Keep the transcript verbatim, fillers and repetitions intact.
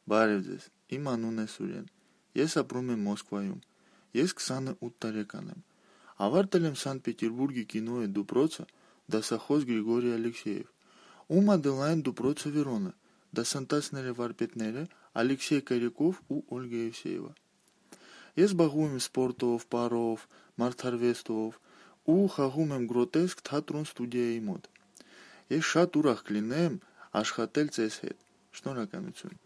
Բարև ձեզ, իմ անունն է Սուրեն, ես ապրում եմ Մոսկվայում, ես քսանութ տարեկան եմ, ավարտել եմ Սանտ Պետերբուրգի կինոյի դպրոցը, դասախոս Գրիգորի Ալեքսեև, ում ադելային դպրոցը Վերոնը, դասընթացները վարպետները Ալեքսեյ Կարիկով ու Օլգա Եվսեևա։ Ես զբաղվում եմ սպորտով, պարով, մարդարվեստով ու խաղում եմ գրոտեսկ թատրոն ստուդիայի մոտ։ Ես շատ ուրախ կլինեմ աշխատել ձեզ հետ։ Շնորհակալություն։